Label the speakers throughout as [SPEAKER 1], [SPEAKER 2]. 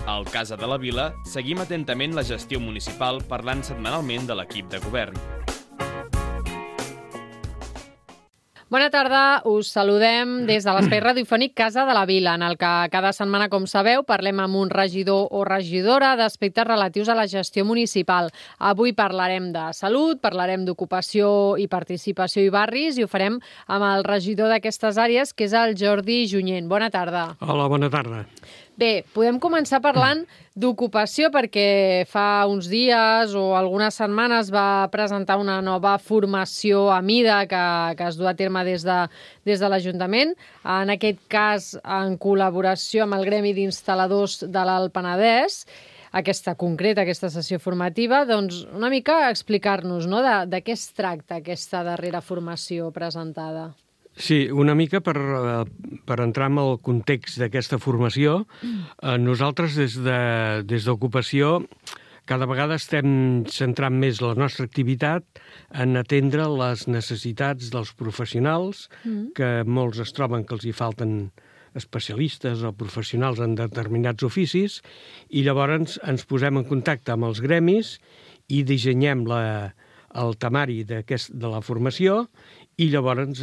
[SPEAKER 1] Al Casa de la Vila seguim atentament la gestió municipal parlant setmanalment de l'equip de govern.
[SPEAKER 2] Bona tarda, us saludem des de l'espai radiofònic Casa de la Vila, en el que cada setmana, com sabeu, parlem amb un regidor o regidora d'aspectes relatius a la gestió municipal. Avui parlarem de salut, parlarem d'ocupació i participació i barris, i ho farem amb el regidor d'aquestes àrees, que és el Jordi Junyent. Bona tarda.
[SPEAKER 3] Hola, bona tarda.
[SPEAKER 2] Bé, podem començar parlant d'ocupació perquè fa uns dies o algunes setmanes va presentar una nova formació a mida que es du a terme des de l'Ajuntament, en aquest cas en col·laboració amb el Gremi d'Instal·ladors de l'Alt Penedès, aquesta sessió formativa. Doncs una mica explicar-nos, no?, de què es tracta aquesta darrera formació presentada.
[SPEAKER 3] Sí, una mica per entrar en el context d'aquesta formació. Nosaltres, des d'Ocupació, cada vegada estem centrant més la nostra activitat en atendre les necessitats dels professionals, que molts es troben que els hi falten especialistes o professionals en determinats oficis, i llavors ens posem en contacte amb els gremis i dissenyem el temari de la formació, i llavors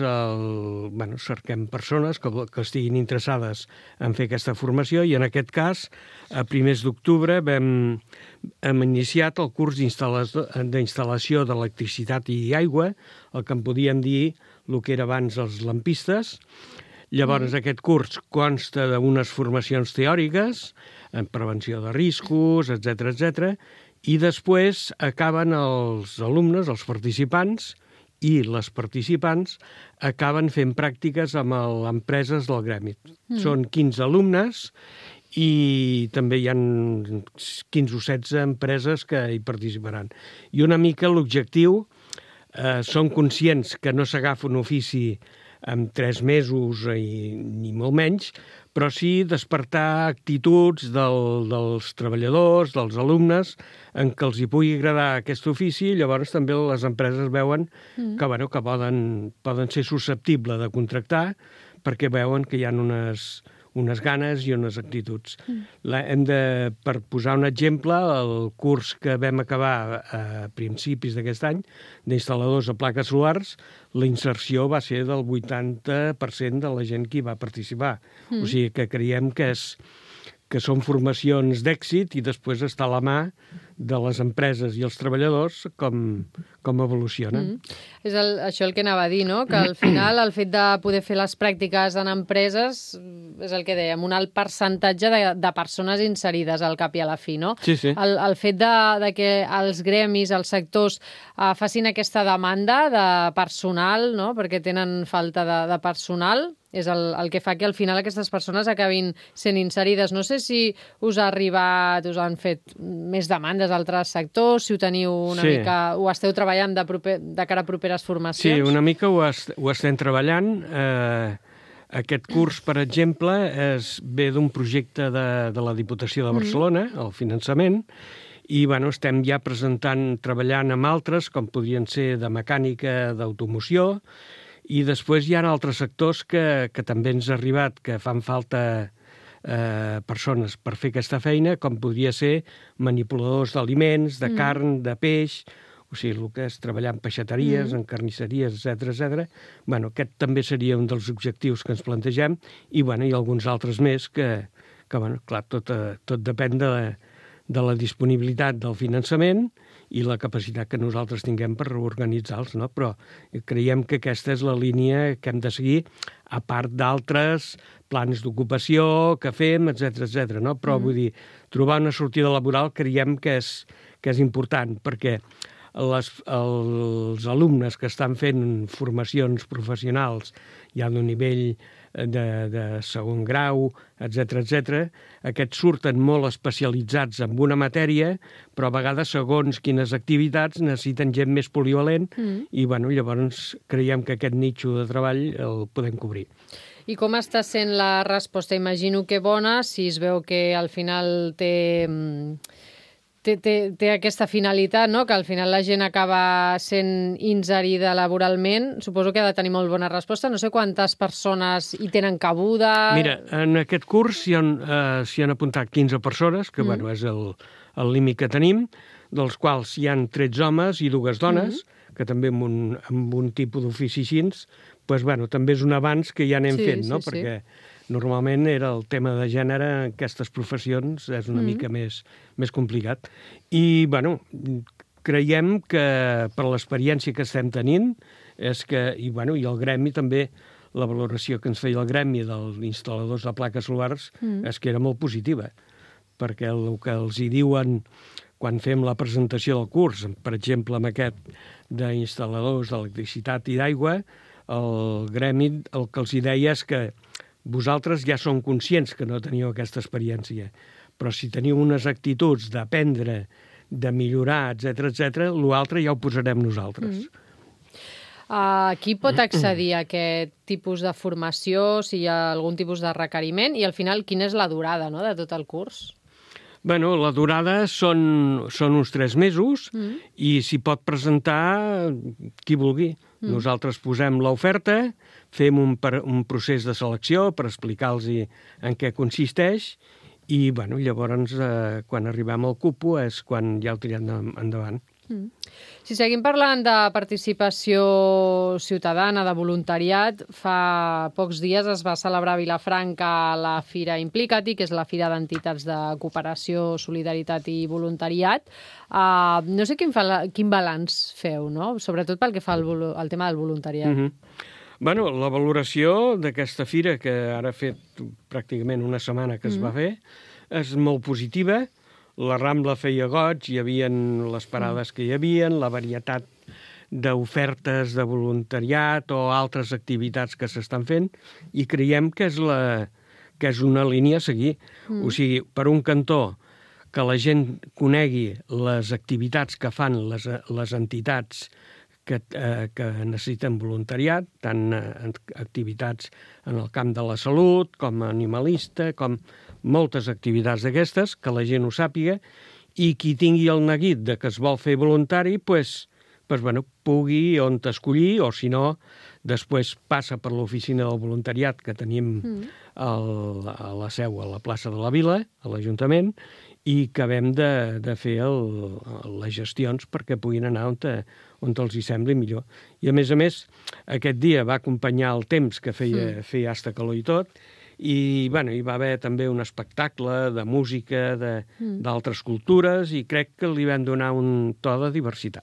[SPEAKER 3] cerquem persones que estiguin interessades en fer aquesta formació, i en aquest cas, a primers d'octubre, hem iniciat el curs d'instal·lació d'electricitat i aigua, el que en podíem dir el que era abans els lampistes. Llavors, aquest curs consta d'unes formacions teòriques, en prevenció de riscos, etc., i després acaben els alumnes, els participants, i les participants acaben fent pràctiques amb empreses del gremi. Són 15 alumnes i també hi ha 15 o 16 empreses que hi participaran. I una mica l'objectiu, són conscients que no s'agafa un ofici en 3 mesos ni molt menys, però sí despertar actituds dels treballadors, dels alumnes, en què els hi pugui agradar aquest ofici, i llavors també les empreses veuen que poden ser susceptibles de contractar, perquè veuen que hi ha unes ganes i unes actituds. Per posar un exemple, el curs que vam acabar a principis d'aquest any, d'instal·ladors de plaques solars, la inserció va ser del 80% de la gent que hi va participar. O sigui que creiem que són formacions d'èxit, i després està a la mà de les empreses i els treballadors com evolucionen.
[SPEAKER 2] És això el que anava a dir, no?, que al final el fet de poder fer les pràctiques en empreses és el que dèiem, un alt percentatge de persones inserides al cap i a la fi, no?
[SPEAKER 3] Sí, sí.
[SPEAKER 2] El fet de que els gremis, els sectors, facin aquesta demanda de personal, no?, perquè tenen falta de personal, és el que fa que al final aquestes persones acabin sent inserides. No sé si us han fet més demandes d'altres sectors, si ho teniu una mica, ho esteu treballant de cara a properes formacions?
[SPEAKER 3] Sí, una mica ho estem treballant. Aquest curs, per exemple, ve d'un projecte de la Diputació de Barcelona, el finançament, i estem ja treballant amb altres, com podrien ser de mecànica, d'automoció, i després hi ha altres sectors que també ens ha arribat, que fan falta persones per fer aquesta feina, com podria ser manipuladors d'aliments, de carn, de peix, o sigui, el que és treballar en peixateries, en carnisseries, etc. Aquest també seria un dels objectius que ens plantegem, i alguns altres més que clar, tot depèn de la disponibilitat del finançament i la capacitat que nosaltres tinguem per reorganitzar-los, no? Però creiem que aquesta és la línia que hem de seguir, a part d'altres plans d'ocupació que fem, etc. No? Però vull dir, trobar una sortida laboral creiem que és important, perquè els alumnes que estan fent formacions professionals ja d'un nivell de segon grau, etc., aquests surten molt especialitzats en una matèria, però a vegades, segons quines activitats, necessiten gent més polivalent, i llavors creiem que aquest nitxo de treball el podem cobrir.
[SPEAKER 2] I com està sent la resposta? Imagino que bona, si es veu que al final té té aquesta finalitat, no? Que al final la gent acaba sent inserida laboralment. Suposo que ha de tenir molt bona resposta. No sé quantes persones hi tenen cabuda.
[SPEAKER 3] Mira, en aquest curs s'hi han apuntat 15 persones, que bueno, és el límit que tenim, dels quals hi han 13 homes i 2 dones, que també amb un tipus d'ofici així, doncs, bueno, també és un avanç que ja anem fent, no? Perquè normalment era el tema de gènere en aquestes professions és una mica més complicat. I, bueno, creiem que per l'experiència que estem tenint és que, i el gremi també, la valoració que ens feia el gremi dels instal·ladors de plaques solars és que era molt positiva, perquè el que els hi diuen quan fem la presentació del curs, per exemple, amb aquest d'instal·ladors d'electricitat i d'aigua, el gremi el que els hi deia és que vosaltres ja som conscients que no teniu aquesta experiència, però si teniu unes actituds d'aprendre, de millorar, etc., l'altre ja ho posarem nosaltres.
[SPEAKER 2] Qui pot accedir a aquest tipus de formació, si hi ha algun tipus de requeriment, i al final quina és la durada, no?, de tot el curs?
[SPEAKER 3] Bueno, la durada són uns 3 mesos i s'hi pot presentar qui vulgui. Nosaltres posem l'oferta, fem un procés de selecció per explicar-los en què consisteix i llavors, quan arribem al cupo, és quan ja ho tirem endavant.
[SPEAKER 2] Si seguim parlant de participació ciutadana, de voluntariat, fa pocs dies es va celebrar a Vilafranca la Fira Implicati, que és la Fira d'Entitats de Cooperació, Solidaritat i Voluntariat. No sé quin balanç feu, no? Sobretot pel que fa al tema del voluntariat.
[SPEAKER 3] Bueno, la valoració d'aquesta fira, que ara ha fet pràcticament una setmana que es va fer, és molt positiva. La Rambla feia goig, hi havia les parades que hi havia, la varietat d'ofertes de voluntariat o altres activitats que s'estan fent, i creiem que és una línia a seguir. O sigui, per un cantó, que la gent conegui les activitats que fan les entitats que necessiten voluntariat, tant activitats en el camp de la salut, com animalista, com moltes activitats d'aquestes, que la gent ho sàpiga, i qui tingui el neguit de que es vol fer voluntari, pugui on escollir, o si no, després passa per l'oficina del voluntariat que tenim a la seu, a la plaça de la Vila, a l'Ajuntament, i acabem de fer les gestions perquè puguin anar on els hi sembli millor. I, a més, aquest dia va acompanyar el temps que feia hasta calor i tot, i hi va haver també un espectacle de música d'altres cultures i crec que li vam donar un to de diversitat.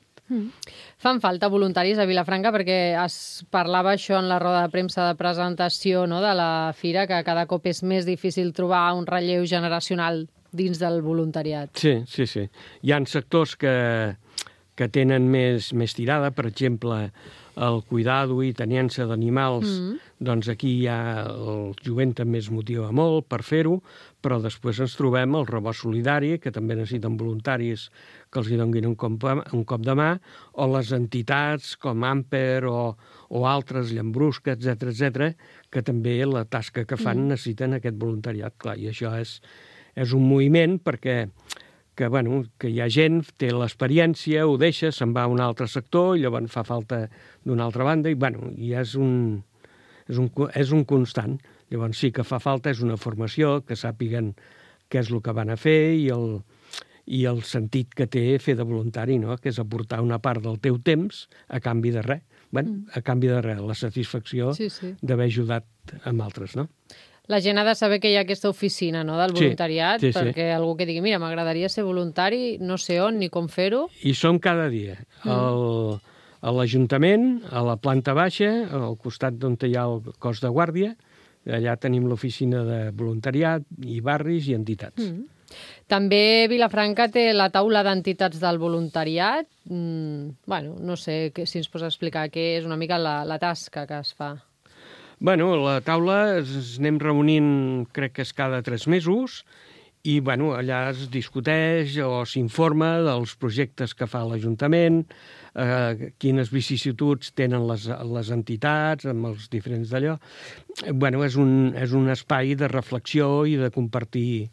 [SPEAKER 2] Fan falta voluntaris a Vilafranca perquè es parlava això en la roda de premsa de presentació, no?, de la fira, que cada cop és més difícil trobar un relleu generacional dins del voluntariat.
[SPEAKER 3] Sí. Hi ha sectors que tenen més tirada, per exemple, el cuidado i teniença d'animals, doncs aquí el jovent també es motiva molt per fer-ho, però després ens trobem el rebost solidari, que també necessiten voluntaris que els hi donin un cop de mà, o les entitats com Amper o altres, Llambrusca, etc., que també la tasca que fan necessiten aquest voluntariat. Clar, i això és un moviment perquè que hi ha gent, té l'experiència, ho deixa, se'n va a un altre sector, i llavors fa falta d'una altra banda, i és un constant. Llavors sí que fa falta, és una formació, que sàpiguen què és el que van a fer i el sentit que té fer de voluntari, no?, que és aportar una part del teu temps a canvi de res. A canvi de res, la satisfacció d'haver ajudat amb altres, no?
[SPEAKER 2] La gent ha de saber que hi ha aquesta oficina, no?, del voluntariat, perquè algú que digui, mira, m'agradaria ser voluntari, no sé on ni com fer-ho.
[SPEAKER 3] I som cada dia. A l'Ajuntament, a la planta baixa, al costat d'on hi ha el cos de guàrdia, allà tenim l'oficina de voluntariat i barris i entitats.
[SPEAKER 2] També Vilafranca té la taula d'entitats del voluntariat. No sé si ens pots explicar què és una mica la tasca que es fa.
[SPEAKER 3] La taula ens anem reunint, crec que és cada 3 mesos, i allà es discuteix o s'informa dels projectes que fa l'Ajuntament, quines vicissituds tenen les entitats amb els diferents d'allò. És un espai de reflexió i de compartir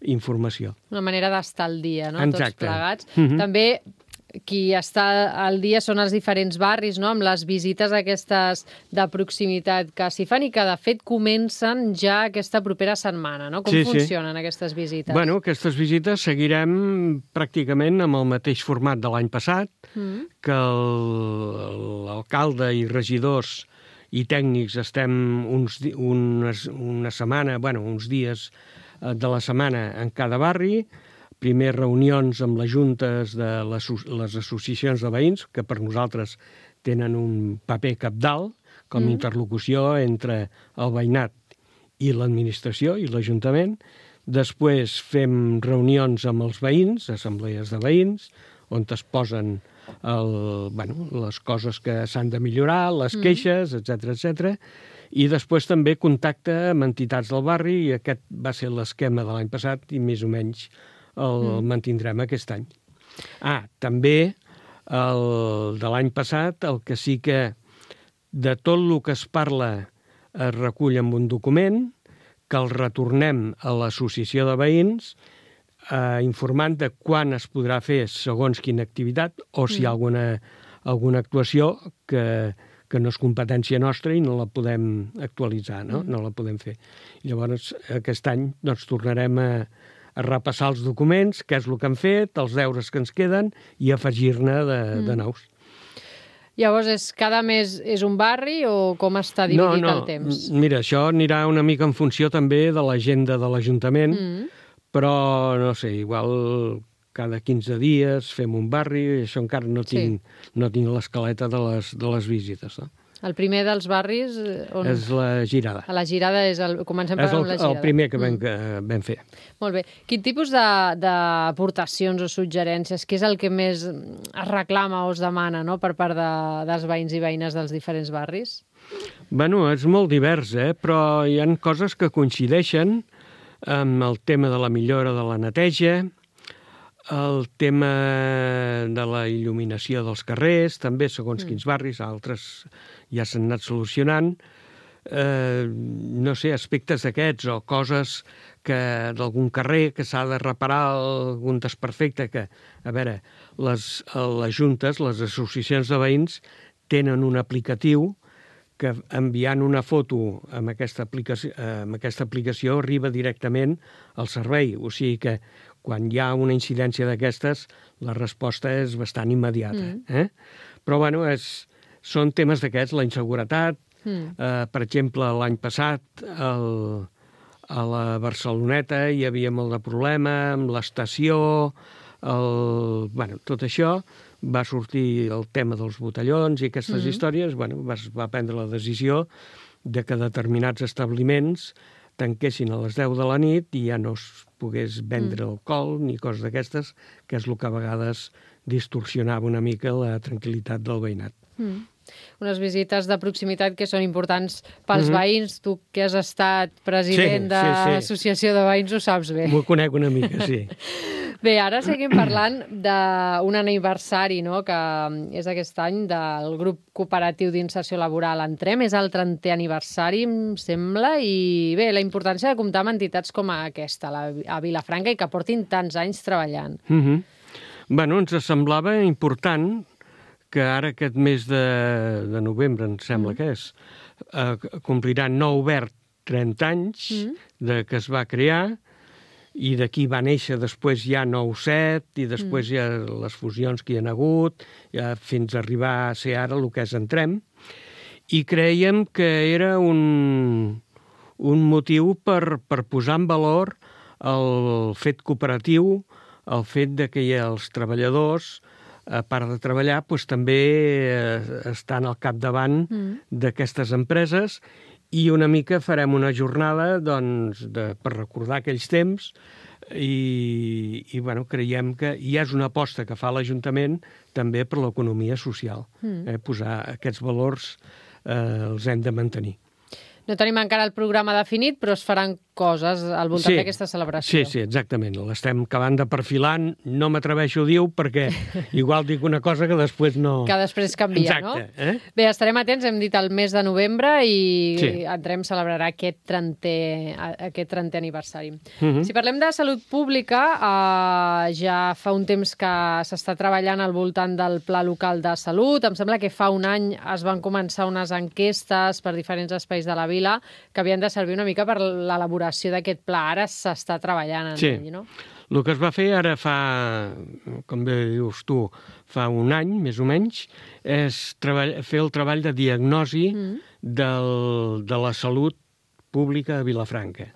[SPEAKER 3] informació.
[SPEAKER 2] Una manera d'estar al dia, no?
[SPEAKER 3] Exacte.
[SPEAKER 2] Tots plegats. També qui està al dia són els diferents barris, no? Amb les visites aquestes de proximitat que s'hi fan i que, de fet, comencen ja aquesta propera setmana, no? Com funcionen aquestes visites?
[SPEAKER 3] Bueno, aquestes visites seguirem pràcticament amb el mateix format de l'any passat, que l'alcalde i regidors i tècnics estem una setmana, uns dies de la setmana en cada barri, primer reunions amb les juntes de les associacions de veïns, que per nosaltres tenen un paper cabdal com a interlocució entre el veïnat i l'administració i l'Ajuntament. Després fem reunions amb els veïns, assemblees de veïns, on es posen les coses que s'han de millorar, les queixes, etc. I després també contacte amb entitats del barri, i aquest va ser l'esquema de l'any passat i més o menys el mantindrem aquest any. També de l'any passat, el que sí que de tot el que es parla es recull en un document, que el retornem a l'associació de veïns informant de quan es podrà fer segons quina activitat o si hi ha alguna actuació que no és competència nostra i no la podem actualitzar, no la podem fer. I llavors aquest any tornarem a repassar els documents, què és el que han fet, els deures que ens queden i afegir-ne de nous.
[SPEAKER 2] Llavors, cada mes és un barri o com està dividit el temps?
[SPEAKER 3] Mira, això anirà una mica en funció també de l'agenda de l'Ajuntament, però, no sé, igual cada 15 dies fem un barri, això encara no tinc l'escaleta de les visites, no?
[SPEAKER 2] El primer dels barris...
[SPEAKER 3] És la Girada.
[SPEAKER 2] A la Girada comencem per amb la Girada.
[SPEAKER 3] És el primer que vam fer.
[SPEAKER 2] Molt bé. Quin tipus d'aportacions o suggerències, què és el que més es reclama o es demana, no?, per part dels veïns i veïnes dels diferents barris?
[SPEAKER 3] Bueno, és molt divers, però hi ha coses que coincideixen amb el tema de la millora de la neteja, el tema de la il·luminació dels carrers, també segons quins barris, altres ja s'han anat solucionant. No sé, aspectes d'aquests o coses d'algun carrer que s'ha de reparar algun desperfecte que, a veure, les juntes, les associacions de veïns tenen un aplicatiu que enviant una foto amb aquesta aplicació arriba directament al servei. O sigui que quan hi ha una incidència d'aquestes, la resposta és bastant immediata. Però, bueno, són temes d'aquests, la inseguretat. Per exemple, l'any passat a la Barceloneta hi havia molt de problema amb l'estació, tot això. Va sortir el tema dels botellons i aquestes històries. Es va prendre la decisió de que determinats establiments tanquessin a les 10 de la nit i ja no es pogués vendre alcohol ni coses d'aquestes, que és el que a vegades distorsionava una mica la tranquil·litat del veïnat.
[SPEAKER 2] Unes visites de proximitat que són importants pels veïns. Tu, que has estat president de l'associació de veïns, ho saps bé.
[SPEAKER 3] M'ho conec una mica, sí.
[SPEAKER 2] Bé, ara seguim parlant d'un aniversari, no?, que és aquest any del grup cooperatiu d'inserció laboral Entrem. És el 30è aniversari, em sembla, i bé, la importància de comptar amb entitats com aquesta, a Vilafranca, i que portin tants anys treballant.
[SPEAKER 3] Bueno, ens semblava important que ara aquest mes de novembre, em sembla que és, complirà nou obert 30 anys que es va crear, i d'aquí va néixer després ja 9-7, i després hi ha les fusions que hi ha hagut, fins a arribar a ser ara el que és Entrem. I creiem que era un motiu per posar en valor el fet cooperatiu, el fet de que els treballadors, a part de treballar, també estan al capdavant d'aquestes empreses, i una mica farem una jornada per recordar aquells temps i creiem que ja és una aposta que fa l'Ajuntament també per l'economia social. Posar aquests valors els hem de mantenir.
[SPEAKER 2] No tenim encara el programa definit, però es faran coses al voltant d'aquesta celebració.
[SPEAKER 3] Sí, exactament. L'estem acabant de perfilar. No m'atreveixo a dir-ho perquè igual dic una cosa que després no...
[SPEAKER 2] Que després canvia,
[SPEAKER 3] exacte,
[SPEAKER 2] no? Bé, estarem atents, hem dit el mes de novembre i entrem a celebrar aquest 30è aniversari. Si parlem de salut pública, ja fa un temps que s'està treballant al voltant del Pla Local de Salut. Em sembla que fa un any es van començar unes enquestes per diferents espais de la vila que havien de servir una mica per l'elaboració d'aquest pla. Ara s'està treballant en ell, no?
[SPEAKER 3] El que es va fer ara fa, com bé dius tu, fa un any, més o menys, és fer el treball de diagnosi de la salut pública a Vilafranca.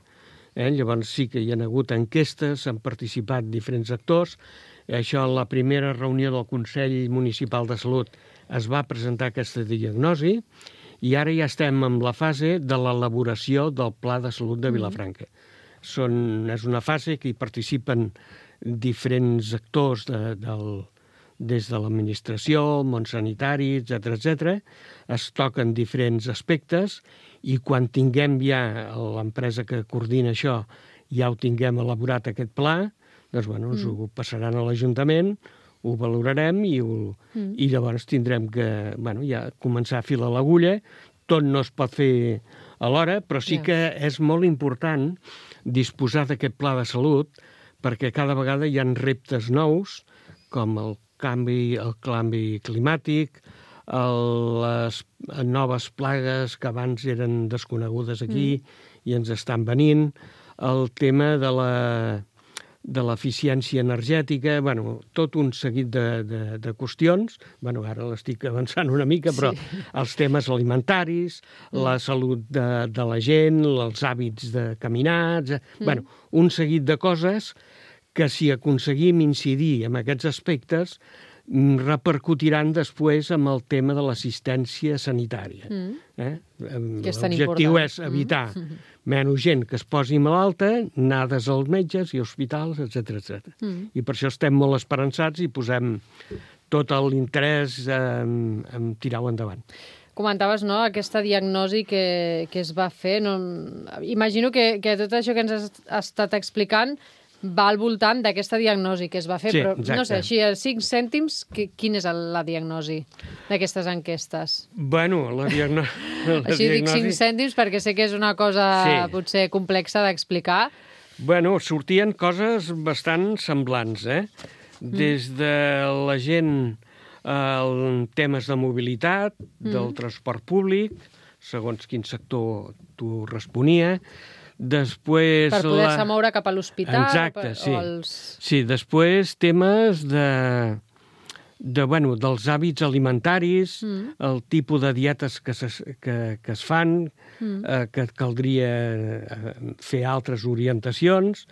[SPEAKER 3] Llavors sí que hi ha hagut enquestes, han participat diferents actors. Això, en la primera reunió del Consell Municipal de Salut, es va presentar aquesta diagnosi i ara ja estem en la fase de l'elaboració del Pla de Salut de Vilafranca. És una fase que hi participen diferents actors des de l'administració, el món sanitari, etc. Es toquen diferents aspectes i quan tinguem ja l'empresa que coordina això, ja ho tinguem elaborat aquest pla, doncs ens ho passaran a l'Ajuntament, ho valorarem i llavors tindrem que ja començar a filar l'agulla. Tot no es pot fer alhora, però sí que és molt important disposar d'aquest pla de salut perquè cada vegada hi ha reptes nous, com el canvi climàtic, les noves plagues que abans eren desconegudes aquí i ens estan venint, el tema de l'eficiència energètica, tot un seguit de qüestions. Ara l'estic avançant una mica, però els temes alimentaris, la salut de la gent, els hàbits de caminar, un seguit de coses que si aconseguim incidir en aquests aspectes repercutiran després amb el tema de l'assistència sanitària. L'objectiu és evitar menys gent que es posi malalta, anades als metges i hospitals, etc. I per això estem molt esperançats i posem tot l'interès en tirar-ho endavant.
[SPEAKER 2] Comentaves, no?, aquesta diagnosi que es va fer. Imagino que tot això que ens has estat explicant va al voltant d'aquesta diagnosi que es va fer, però no sé, així a 5 cèntims, quina és la diagnosi d'aquestes enquestes?
[SPEAKER 3] La diagnosi...
[SPEAKER 2] Així dic 5 cèntims perquè sé que és una cosa potser complexa d'explicar.
[SPEAKER 3] Sortien coses bastant semblants, des de la gent en temes de mobilitat, del transport públic, segons quin sector tu responia. Després
[SPEAKER 2] per poder-se moure cap a l'hospital?
[SPEAKER 3] Exacte, sí. Sí, després temes dels hàbits alimentaris, el tipus de dietes que es fan, que caldria fer altres orientacions,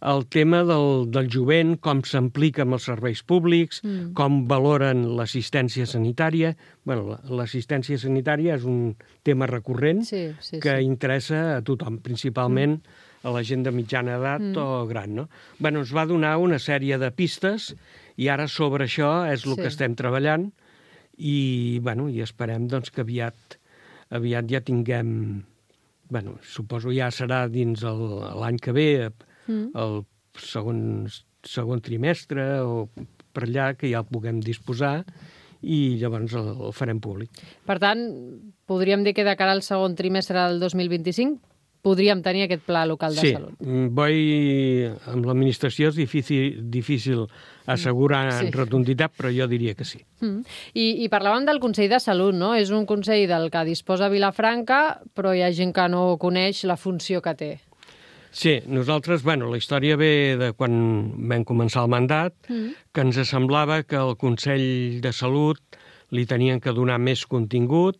[SPEAKER 3] el tema del jovent, com s'implica amb els serveis públics, com valoren l'assistència sanitària. L'assistència sanitària és un tema recurrent que interessa a tothom, principalment a la gent de mitjana edat o gran. Ens va donar una sèrie de pistes i ara sobre això és el que estem treballant i esperem que aviat ja tinguem... Suposo ja serà dins l'any que ve, el segon trimestre o per allà, que ja el puguem disposar i llavors el farem públic.
[SPEAKER 2] Per tant, podríem dir que de cara al segon trimestre del 2025 podríem tenir aquest pla local de salut.
[SPEAKER 3] Sí, amb l'administració és difícil assegurar en rotunditat, però jo diria que sí.
[SPEAKER 2] I parlàvem del Consell de Salut, no? És un consell del que disposa Vilafranca, però hi ha gent que no coneix la funció que té.
[SPEAKER 3] Sí, nosaltres, la història ve de quan vam començar el mandat, que ens semblava que el Consell de Salut li tenien que donar més contingut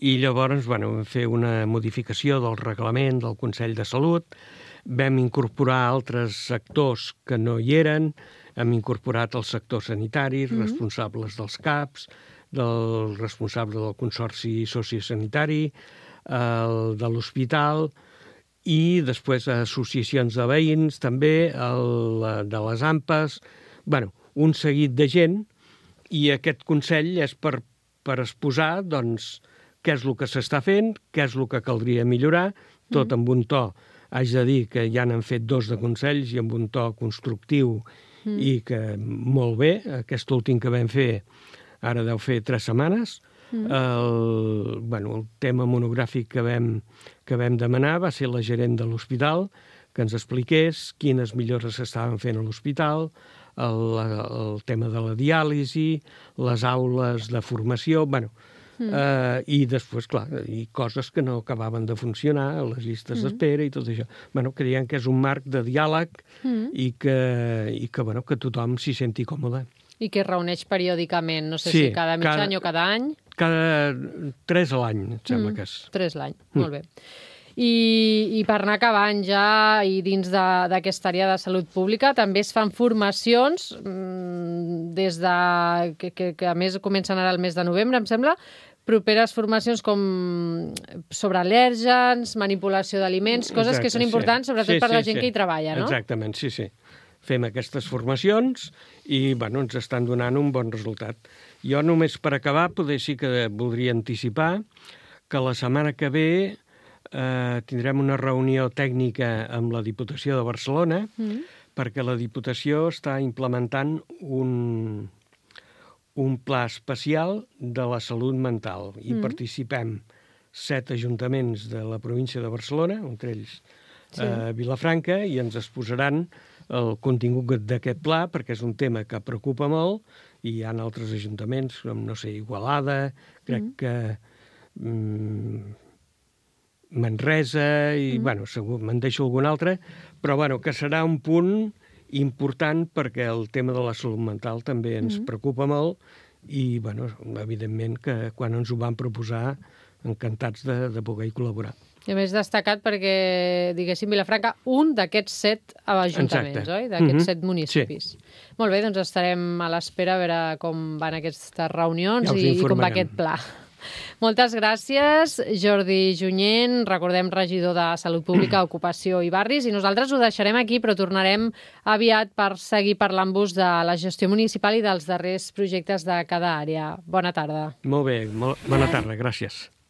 [SPEAKER 3] i llavors vam fer una modificació del reglament del Consell de Salut, vam incorporar altres sectors que no hi eren, hem incorporat els sectors sanitaris, responsables dels CAPs, del responsable del Consorci Sociosanitari, el de l'hospital i després associacions de veïns també, de les AMPAs, un seguit de gent, i aquest Consell és per exposar què és el que s'està fent, què és el que caldria millorar, tot amb un to haig de dir que ja n'han fet 2 de consells i amb un to constructiu i que molt bé. Aquest últim que vam fer ara deu fer 3 setmanes. El tema monogràfic que vam demanar va ser la gerent de l'hospital, que ens expliqués quines millores s'estaven fent a l'hospital, el tema de la diàlisi, les aules de formació, i després, clar, i coses que no acabaven de funcionar, les llistes d'espera i tot això. Creiem que és un marc de diàleg i que tothom s'hi senti còmode.
[SPEAKER 2] I que es reuneix periòdicament, no sé si cada mig any o cada any?
[SPEAKER 3] Cada 3 a l'any, em sembla que és.
[SPEAKER 2] 3 l'any, molt bé. I per anar acabant ja, i dins d'aquesta àrea de salut pública, també es fan formacions des de... que a més comencen ara el mes de novembre, em sembla, properes formacions com sobre al·lèrgens, manipulació d'aliments, coses que són importants, sobretot per la gent que hi treballa, no?
[SPEAKER 3] Exactament, sí. Fem aquestes formacions i ens estan donant un bon resultat. Jo només per acabar, potser sí que voldria anticipar que la setmana que ve tindrem una reunió tècnica amb la Diputació de Barcelona perquè la Diputació està implementant un pla especial de la salut mental i participem 7 ajuntaments de la província de Barcelona, entre ells Vilafranca, i ens exposaran el contingut d'aquest pla perquè és un tema que preocupa molt i hi ha altres ajuntaments com, no sé, Igualada, crec que Manresa i, segur, me'n deixo algun altre, però, que serà un punt important perquè el tema de la salut mental també ens preocupa molt i, evidentment, que quan ens ho van proposar, encantats de poder-hi col·laborar.
[SPEAKER 2] I a més destacat perquè, diguéssim, Vilafranca, un d'aquests 7 ajuntaments, oi? D'aquests 7 municipis. Sí. Molt bé, doncs estarem a l'espera a veure com van aquestes reunions i com va aquest pla. Moltes gràcies, Jordi Junyent, recordem regidor de Salut Pública, Ocupació i Barris, i nosaltres ho deixarem aquí, però tornarem aviat per seguir parlant-vos de la gestió municipal i dels darrers projectes de cada àrea. Bona tarda.
[SPEAKER 3] Molt bé, bona tarda, gràcies.